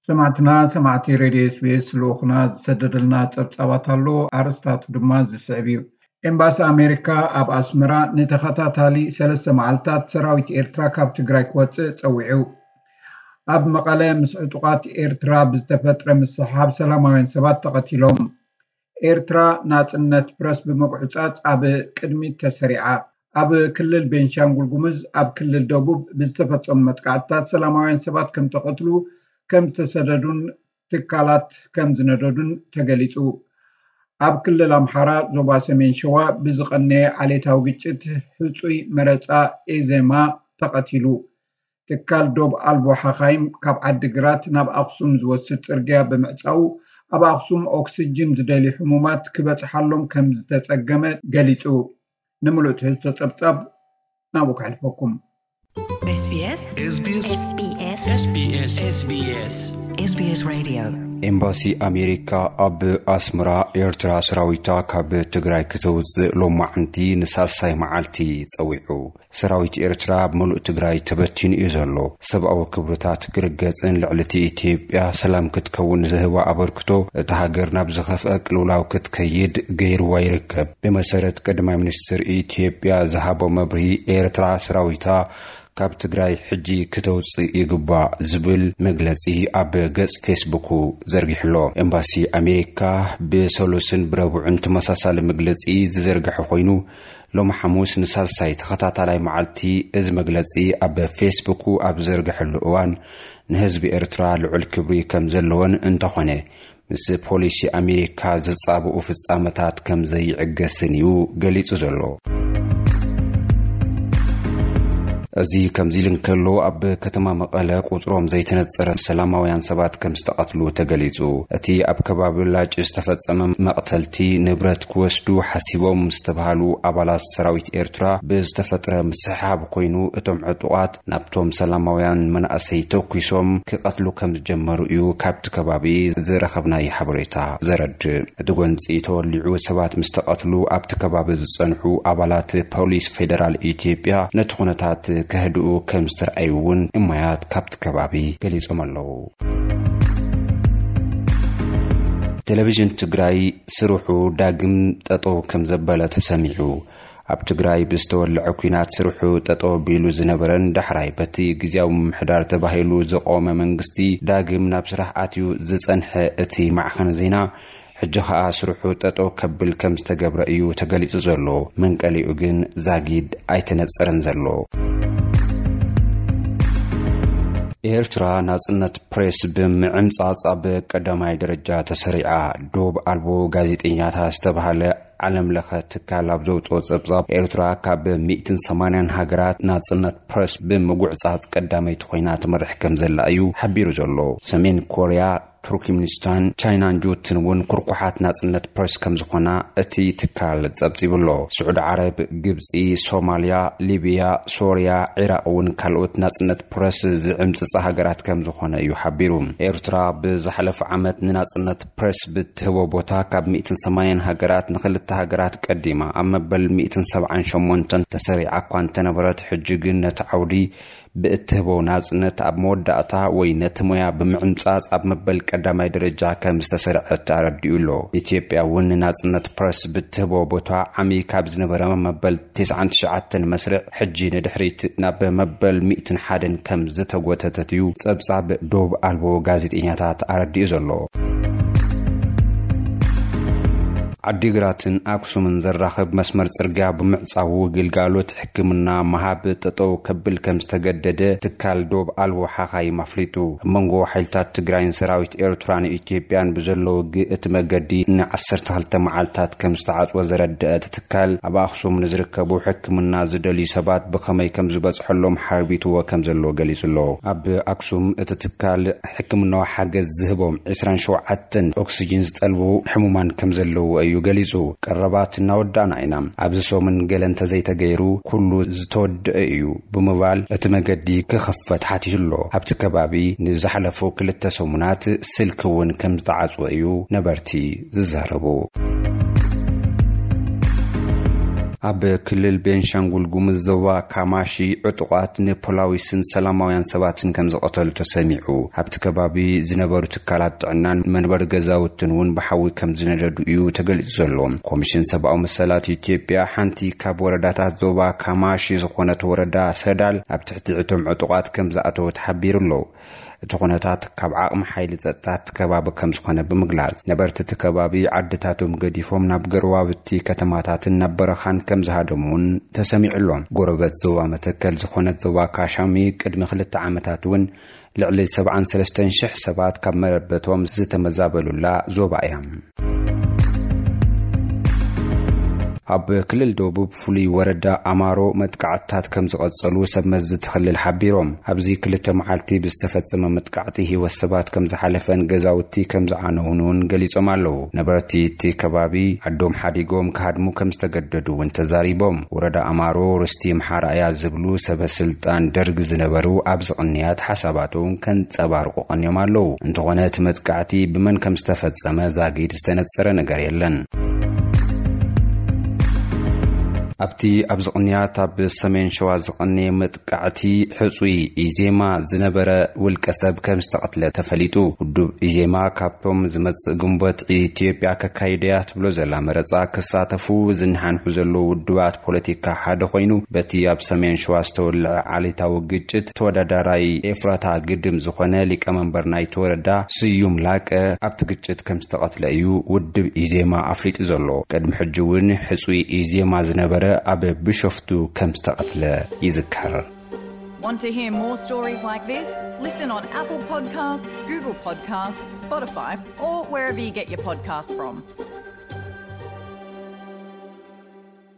ሰማዕትና፣ ሰማዕቲ ሬድዮ ኤስቢኤስ፣ ልኡኽና ዝሰደደልና ጸብጻባት ኣሎ። ኣርእስታቱ ድማ ዝስዕብ እዩ። ኤምባሲ ኣሜሪካ ኣብ ኣስመራ ንተኸታታሊ ሰለስተ መዓልታት ሰራዊት ኤርትራ ካብ ትግራይ ክወጽእ ጸዊዑ። ኣብ መቐለ ምስ ዕጡቓት ኤርትራ ብዝተፈጥረ ምስሕሓብ ሰላማውያን ሰባት ተቐቲሎም። ኤርትራ ናጽነት ፕረስ ብምጉዕጻጽ ኣብ ቅድሚት ተሰሪዓ። ኣብ ክልል ቤንሻንጉል ጉሙዝ ኣብ ክልል ደቡብ ብዝተፈጸሙ መጥቃዕትታት ሰላማውያን ሰባት ከም ተቐትሉ፣ ከም ዝተሰደዱን ትካላት ከም ዝነደዱን ተገሊጹ። ኣብ ክልል ኣምሓራ ዞባ ሰሜን ሸዋ ብዝቐነየ ዓሌታዊ ግጭት ህጹይ መረጻ ኤዜማ ተቐቲሉ። ትካል ዶብ ኣልቦ ሓኻይም ካብ ዓዲግራት ናብ ኣኽሱም ዝወስድ ጽርግያ ብምዕጻው፣ ኣብ ኣኽሱም ኦክስጅን ዝደልዩ ሕሙማት ክበጽሓሎም ከም ዝተጸገመ ገሊጹ። ንምሉእ ትሕዝቶ ጸብጻብ ናብኡ ከሕልፈኩም። SBS SBS SBS SBS Radio። ኤምባሲ ኣሜሪካ ኣብ ኣስመራ ኤርትራ ሰራዊታ ካብ ትግራይ ክተውጽእ ሎማዕንቲ ንሳልሳይ መዓልቲ ጸዊዑ። ሰራዊት ኤርትራ ኣብ ምሉእ ትግራይ ተበቲኑ እዩ ዘሎ። ሰብኣዊ ክብርታት ክርገጽን ልዕሊ እቲ ኢትዮጵያ ሰላም ክትከውን ዝህባ ኣበርክቶ እታ ሃገር ናብ ዝኸፍአ ቅልውላው ክትከይድ ገይርዋ ይርከብ። ብመሰረት ቀዳማይ ሚኒስትር ኢትዮጵያ ዝሃቦ መብርሂ፣ ኤርትራ ሰራዊታ ካብ ትግራይ ሕጂ ክተውፅእ ይግባእ ዝብል መግለፂ ኣብ ገፅ ፌስቡኩ ዘርጊሕሎ። ኤምባሲ ኣሜሪካ ብሰሉስን ብረቡዕን ተመሳሳሊ መግለፂ ዝዘርግሐ ኮይኑ፣ ሎሚ ሓሙስ ንሳልሳይ ተኸታታላይ መዓልቲ እዚ መግለፂ ኣብ ፌስቡኩ ኣብ ዘርግሐሉ እዋን፣ ንህዝቢ ኤርትራ ልዑል ክብሪ ከም ዘለዎን እንተኾነ፣ ምስ ፖሊሲ ኣሜሪካ ዝጻብኡ ፍጻመታት ከም ዘይዕገስን እዩ ገሊጹ ዘሎ። እዚ ከምዚ ኢሉ እንከሎ፣ ኣብ ከተማ መቐለ ቁጽሮም ዘይተነጸረ ሰላማውያን ሰባት ከም ዝተቐትሉ ተገሊጹ። እቲ ኣብ ከባቢ ላጭ ዝተፈጸመ መቕተልቲ፣ ንብረት ክወስዱ ሓሲቦም ዝተባህሉ ኣባላት ሰራዊት ኤርትራ ብዝተፈጥረ ምስሕሓብ ኮይኑ፣ እቶም ዕጡቓት ናብቶም ሰላማውያን መናእሰይ ተኩሶም ክቐትሉ ከም ዝጀመሩ እዩ ካብቲ ከባቢ ዝረኸብናዮ ሓበሬታ ዘረድእ። እቲ ጎንጺ ተወሊዑ ሰባት ምስ ተቐትሉ፣ ኣብቲ ከባቢ ዝጸንሑ ኣባላት ፖሊስ ፌደራል ኢትዮጵያ ነቲ ኩነታት ከህድኡ ከም ዝተርኣዩ እውን እማያት ካብቲ ከባቢ ገሊጾም ኣለዉ። ቴሌቪዥን ትግራይ ስርሑ ዳግም ጠጠው ከም ዘበለ ተሰሚዑ። ኣብ ትግራይ ብዝተወልዐ ኲናት ስርሑ ጠጠው ኣቢሉ ዝነበረን ዳሕራይ በቲ ግዝያዊ ምምሕዳር ተባሂሉ ዝቖመ መንግስቲ ዳግም ናብ ስራሕ ኣትዩ ዝጸንሐ እቲ ማዕኸን ዜና፣ ሕጂ ኸኣ ስርሑ ጠጠው ከብል ከም ዝተገብረ እዩ ተገሊጹ ዘሎ። መንቀሊኡ ግን ዛጊድ ኣይተነጸረን ዘሎ። ኤርትራ ናጽነት ፕሬስ ብምዕምጻጽ ኣብ ቀዳማይ ደረጃ ተሰሪዓ። ዶብ ኣልቦ ጋዜጠኛታት ዝተባህለ ዓለም ለኸ ትካል ኣብ ዘውፅኦ ጸብጻብ፣ ኤርትራ ካብ ሚእትን ሰማንያን ሃገራት ናጽነት ፕረስ ብምጉዕጻጽ ቀዳመይቲ ኮይና ትመርሕ ከም ዘላ እዩ ሓቢሩ ዘሎ። ሰሜን ኮርያ፣ ቱርክሚኒስታን፣ ቻይናን ጅቡትን እውን ኩርኩሓት ናጽነት ፕረስ ከም ዝኾና እቲ ትካል ጸብጺቡ ኣሎ። ስዑዲ ዓረብ፣ ግብጺ፣ ሶማልያ፣ ሊብያ፣ ሶርያ፣ ዒራቕ እውን ካልኦት ናጽነት ፕረስ ዝዕምጽጻ ሃገራት ከም ዝኾነ እዩ ሓቢሩ። ኤርትራ ብዝሓለፈ ዓመት ንናጽነት ፕረስ ብትህቦ ቦታ ካብ ሚእትን ሰማንያን ሃገራት ንኽልተ ሃገራት ቀዲማ ኣብ መበል ሚእትን ሰብዓን ሸሞንተን ተሰሪዓ እኳ እንተነበረት፣ ሕጂ ግን ነቲ ዓውዲ ብእትህቦ ናጽነት ኣብ መወዳእታ ወይ ነቲ ሞያ ብምዕምጻጽ ኣብ መበል ቀዳማይ ደረጃ ከም ዝተሰርዐት ኣረዲኡ ኣሎ። ኢትዮጵያ እውን ንናጽነት ፕረስ ብትህቦ ቦታ ዓሚ ካብ ዝነበረ መበል ተስዓን ትሽዓተን መስርዕ ሕጂ ንድሕሪት ናብ መበል ሚእትን ሓደን ከም ዝተጎተተት እዩ ጸብጻብ ዶብ ኣልቦ ጋዜጠኛታት ኣረዲኡ ዘሎ። ዓዲግራትን ኣክሱምን ዘራኽብ መስመር ጽርግያ ብምዕጻዉ፣ ግልጋሎት ሕክምና ምሃብ ጠጠው ከብል ከም ዝተገደደ ትካል ዶብ ኣልቦ ሓኻይም ኣፍሊጡ። ኣብ መንጎ ሓይልታት ትግራይን ሰራዊት ኤርትራን ኢትዮጵያን ብዘሎ ውግእ፣ እቲ መገዲ ንዓሰርተ ክልተ መዓልታት ከም ዝተዓጽወ ዘረድአ እቲ ትካል፣ ኣብ ኣክሱም ንዝርከቡ ሕክምና ዝደልዩ ሰባት ብኸመይ ከም ዝበጽሐሎም ሓርቢትዎ ከም ዘሎ ገሊጹ ኣሎ። ኣብ ኣክሱም እቲ ትካል ሕክምናዊ ሓገዝ ዝህቦም ዕስራን ሸውዓተን ኦክስጂን ዝጠልቡ ሕሙማን ከም ዘለዉ እዩ ገሊጹ። ቀረባት እናወዳእና ኢና። ኣብዚ ሰሙን ገለ እንተዘይተገይሩ፣ ኩሉ ዝተወደአ እዩ ብምባል፣ እቲ መገዲ ክኽፈት ሓቲቱ ኣሎ። ኣብቲ ከባቢ ንዝሓለፉ ክልተ ሰሙናት ስልኪ እውን ከም ዝተዓጽወ እዩ ነበርቲ ዝዛረቡ። ኣብ ክልል ቤንሻንጉል ጉሙዝ ዞባ ካማሺ ዕጡቓት ንፖላዊስን ሰላማውያን ሰባትን ከም ዝቐተሉ ተሰሚዑ። ኣብቲ ከባቢ ዝነበሩ ትካላት ጥዕናን መንበሪ ገዛውትን እውን ብሓዊ ከም ዝነደዱ እዩ ተገሊጹ ዘሎ። ኮሚሽን ሰብኣዊ መሰላት ኢትዮጵያ ሓንቲ ካብ ወረዳታት ዞባ ካማሺ ዝኾነት ወረዳ ሰዳል ኣብ ትሕቲ እቶም ዕጡቓት ከም ዝኣተወት ሓቢሩ ኣሎ። እቲ ኩነታት ካብ ዓቕሚ ሓይሊ ጸጥታ እቲ ከባቢ ከም ዝኾነ ብምግላጽ፣ ነበርቲ እቲ ከባቢ ዓድታቶም ገዲፎም ናብ ገርዋብቲ ከተማታትን ናብ በረኻን ከም ዝሃደሙ እውን ተሰሚዑ ኣሎ። ጎረበት ዞባ መተከል ዝኾነት ዞባ ካሻሚ ቅድሚ ክልተ ዓመታት እውን ልዕሊ ሰብዓን ሰለስተን ሽሕ ሰባት ካብ መረበቶም ዝተመዛበሉላ ዞባ እያ። ኣብ ክልል ደቡብ ፍሉይ ወረዳ ኣማሮ መጥቃዕትታት ከም ዝቐጸሉ ሰብ መዚ እቲ ክልል ሓቢሮም። ኣብዚ ክልተ መዓልቲ ብዝተፈጸመ መጥቃዕቲ ህይወት ሰባት ከም ዝሓለፈን ገዛውቲ ከም ዝዓነዉን እውን ገሊጾም ኣለዉ። ነበርቲ እቲ ከባቢ ዓዶም ሓዲጎም ክሃድሙ ከም ዝተገደዱ እውን ተዛሪቦም። ወረዳ ኣማሮ ርስቲ ኣምሓራ እያ ዝብሉ ሰበ ስልጣን ደርግ ዝነበሩ ኣብዚ ቅንያት ሓሳባቶም ከንጸባርቑ ቀንዮም ኣለዉ። እንተኾነ እቲ መጥቃዕቲ ብመን ከም ዝተፈጸመ ዛጊድ ዝተነጸረ ነገር የለን። ኣብቲ ኣብዚ ቅንያት ኣብ ሰሜን ሸዋ ዝቐነየ መጥቃዕቲ ሕጹይ ኢዜማ ዝነበረ ውልቀ ሰብ ከም ዝተቐትለ ተፈሊጡ። ውድብ ኢዜማ ካብቶም ዝመጽእ ግንቦት ኢትዮጵያ ከካይደያ ትብሎ ዘላ መረጻ ክሳተፉ ዝነሓንሑ ዘለዉ ውድባት ፖለቲካ ሓደ ኮይኑ፣ በቲ ኣብ ሰሜን ሸዋ ዝተወልዐ ዓሌታዊ ግጭት ተወዳዳራይ ኤፍራታ ግድም ዝኾነ ሊቀመንበር ናይቲ ወረዳ ስዩም ላቀ ኣብቲ ግጭት ከም ዝተቐትለ እዩ ውድብ ኢዜማ ኣፍሊጡ ዘሎ። ቅድሚ ሕጂ እውን ሕጹይ ኢዜማ ዝነበረ ኣብ ቢሾፍቱ ከም ዝተቐትለ ይዝከር። Want to hear more stories like this? Listen on Apple Podcasts, Google Podcasts, Spotify, or wherever you get your podcasts from.